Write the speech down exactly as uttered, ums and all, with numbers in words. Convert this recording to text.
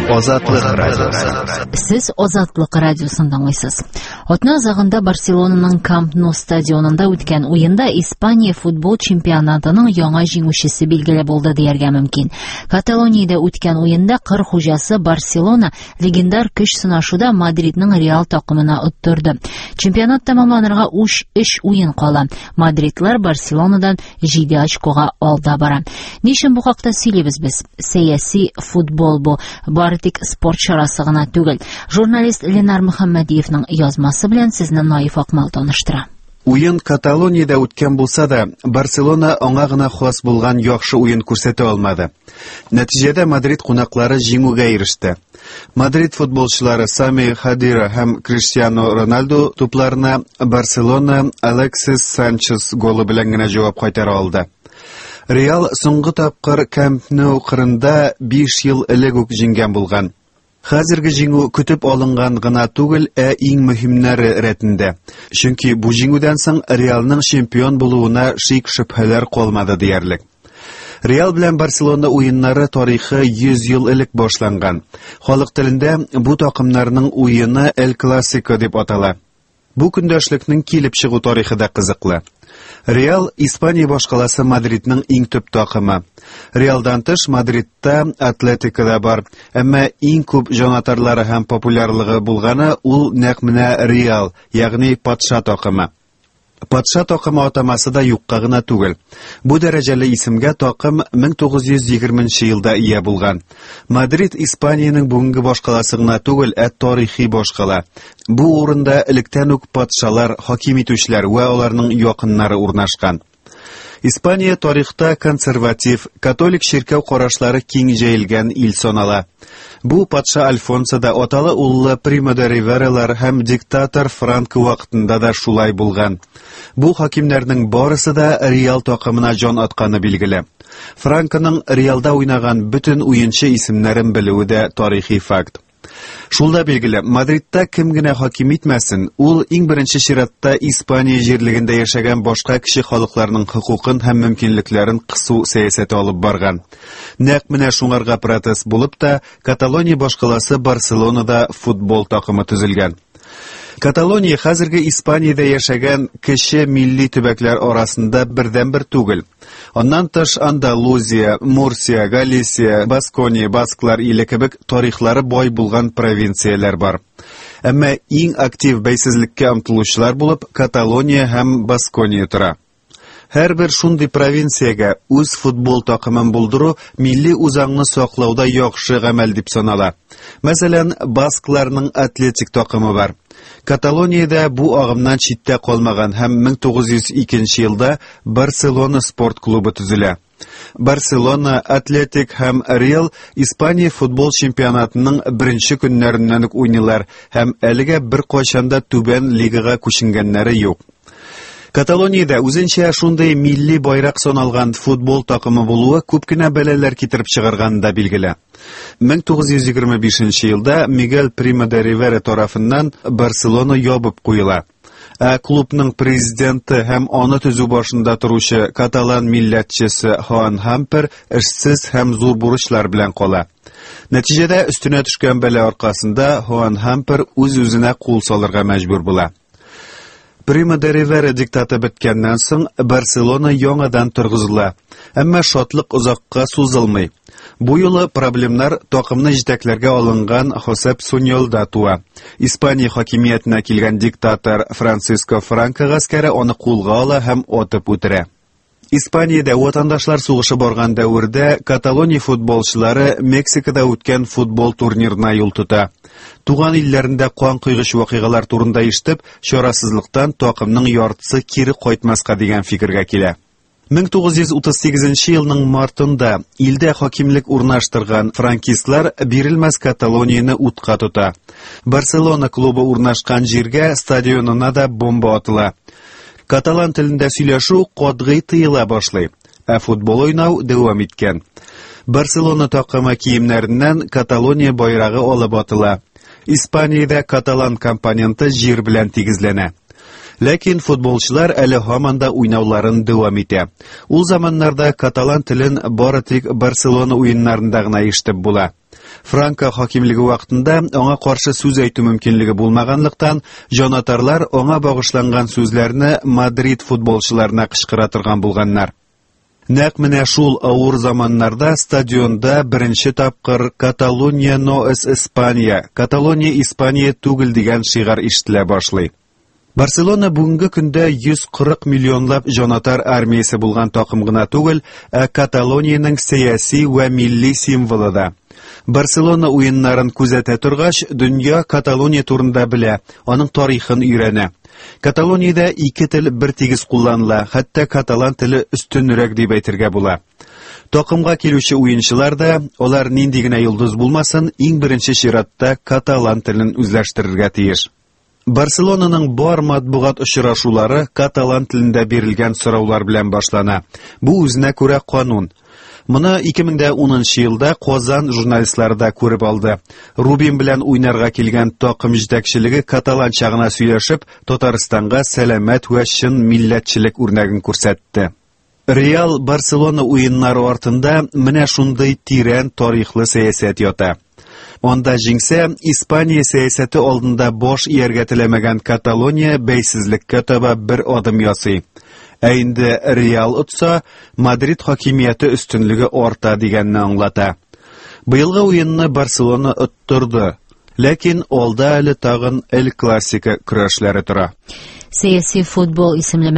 Азатлык Радиосы. Сез Азатлык радиосын тыңлыйсыз. Атна азагында Барселонаның Камп Ноу стадионында үткән уенда Испания футбол чемпионатының яңа җиңүчесе билгеле булды дияргә мөмкин. Каталониядә үткән уенда кыр хуҗасы Барселона легендар көч сынашуда Мадридның Реал такымына оттырды. Чемпионат тәмамланырга уч өч уен кала. Мадридтлар Барселонадан җиде очкога алда бара. Ни өчен бу хакта сөйлибез без? Сәяси футбол бу. Бары тик спорт чарасы гына түгел. Журналист Ленар Мөхәммәдиевның язмасы белән сезне Наиф Акмал таныштыра. Уен Каталониядә үткән булса да, Барселона аңа гына хас булган яхшы уен күрсәтә алмады. Нәтиҗәдә Мадрид кунаклары җиңүгә иреште. Мадрид футболчылары Сами Хадира һәм Криштиану Роналду тупларына Барселона Алексис Санчес голы белән генә җавап кайтара алды. Реал соңгы тапкыр Камп Ноу кырында биш ел элек үк җиңгән булган. Хәзерге җиңү көтеп алынган гына түгел, ә иң мөһимнәре рәтендә. Чөнки бу җиңүдән соң Реалның чемпион булуына шик-шөбһәләр калмады диярлек. Реал белән Барселона уеннары тарихы йөз ел элек башланган. Халык телендә бу такымнарның уены Эль Классико дип атала. Бу көндәшлекнең килеп чыгу тарихы да кызыклы. Реал Испания башкаласы Мадридның иң төп такымы. Реалдан тыш Мадридта Атлетико да бар. Әмма иң күп җанатарлары һәм популярлыгы булганы ул нәкъ менә Реал, ягъни патша такымы. Патша такымы атамасы да юкка гына түгел. Бу дәрәҗәле исемгә такым мең тугыз йөз егерменче елда ия булган. Мадрид Испаниянең бүгенге башкаласы гына түгел, ә тарихи башкала. Бу урында электән үк патшалар, хаким итүчеләр вә аларның якыннары урнашкан. Испания тарихта консерватив, католик чиркәү карашлары киң җәелгән ил санала. Бу патша Альфонсо да аталы уллы Примо де Ривералар һәм диктатор Франко вакытында да шулай булган. Бу хакимнәрнең барысы да Реал такымына җан атканы билгеле. Франконың Реалда уйнаган бөтен уенчы исемнәрен белүе дә тарихи факт. Шул да билгеле, Мадридта кем генә хаким итмәсен, ул иң беренче чиратта Испания җирлегендә яшәгән башка кеше халыкларының хокукын һәм мөмкинлекләрен кысу сәясәте алып барган. Нәкъ менә шуңарга протест булып та Каталония башкаласы Барселонада футбол такымы төзелгән. Каталония хәзерге Испаниядә яшәгән кече милли төбәкләр арасында бердәнбер түгел. Аннан тыш Андалузия, Мурсия, Галисия, Баскония, Басклар иле кебек тарихлары бай булган провинцияләр бар. Әмма иң актив бәйсезлеккә омтылучылар булып Каталония һәм Баскония тора. Һәрбер шундый провинциягә үз футбол такымын булдыру милли үзаңны саклауда яхшы гамәл дип санала. Мәсәлән, баскларның Атлетик такымы бар. Каталониядә бу агымнан читтә калмаган һәм мең тугыз йөз икенче елда Барселона спорт клубы төзелә. Барселона, Атлетик һәм Реал Испания футбол чемпионатының беренче көннәреннән үк уйныйлар һәм әлегә бер кайчан да түбән лигага күченгәннәре юк. Каталониядә үзенчә шундый милли байрак саналган футбол такымы булуы күп кенә бәлаләр китереп чыгарганы да билгеле. Мең тугыз йөз егерме бишенче елда Мигель Примо де Ривера тарафыннан Барселона ябып куела. Ә клубның президенты һәм аны төзү башында торучы каталан милләтчесе Хуан Хампер эшсез һәм зур бурычлар белән кала. Нәтиҗәдә өстенә төшкән бәла аркасында Хуан Хампер үз-үзенә кул салырга мәҗбүр була. Примо де Ривера диктаты беткәннән соң Барселона яңадан торгызыла. Әмма шатлык озакка сузылмый. Бу юлы проблемнар такымны җитәкләргә алынган Хосеп Суньолда туа. Испания хакимиятенә килгән диктатор Франциско Франко гаскәре аны кулга ала һәм атып үтерә. Испаниядә ватандашлар сугышы барган дәвердә Каталония футболчылары Мексикада үткән футбол турнирына юл тота. Туган илләрендә кан койгыч вакыйгалар турында ишетеп, чарасызлыктан такымның яртысы кире кайтмаска дигән фикергә килә. Мең тугыз йөз утыз сигезенче елның мартында илдә хакимлек урнаштырган франкистлар бирелмәс Каталонияне утка тота. Барселона клубы урнашкан җиргә стадионына да бомба атыла. Каталан телендә сөйләшү катгый тыела башлый, ә футбол уйнау дәвам иткән. Барселона такымы киемнәреннән Каталония байрагы алып атыла. Испаниядә каталан компоненты җир белән тигезләнә. Ләкин футболчылар әле һаман да уйнауларын дәвам итә. Ул заманнарда каталан телен бары тик Барселона уеннарында гына ишетеп була. Франко хакимлеге вакытында аңа каршы сүз әйтү мөмкинлеге булмаганлыктан, җанатарлар аңа багышланган сүзләрне Мадрид футболчыларына кычкыра торган булганнар. Нәкъ менә шул авыр заманнарда стадионда беренче тапкыр «Каталония no es España», «Каталония Испания түгел» дигән шигарь ишетелә башлый. Барселона бүгенге көндә йөз кырык миллионлап җанатар армиясе булган такым гына түгел, ә Каталониянең сәяси вә милли символы да. Барселона уеннарын күзәтә торгач, дөнья Каталония турында белә, аның тарихын өйрәнә. Каталониядә ике тел бер тигез кулланыла, хәтта каталан теле өстенрәк дип әйтергә була. Такымга килүче уенчылар да, алар нинди генә йолдыз булмасын, иң беренче чиратта каталан телен үзләштерергә тиеш. Барселонаның бар матбугат очрашулары каталан телендә бирелгән сораулар белән башлана. Бу үзенә күрә канун. Моны ике мең дә унынчы елда Казан журналистлары да күреп алды. Рубин белән уйнарга килгән такым җитәкчелеге каталанча гына сөйләшеп, Татарстанга сәламәт вә чын милләтчелек үрнәген күрсәтте. Реал Барселона уеннары артында менә шундый тирән тарихлы сәясәт ята. Анда җиңсә, Испания сәясәте алдында баш ияргә теләмәгән Каталония бәйсезлеккә таба бер адым ясый. Ә инде Реал отса, Мадрид хакимияте өстенлеге арта дигәнне аңлата. Быелгы уенны Барселона оттырды. Ләкин алда әле тагын Эль Классико көрәшләре тора. Сәяси футбол исемле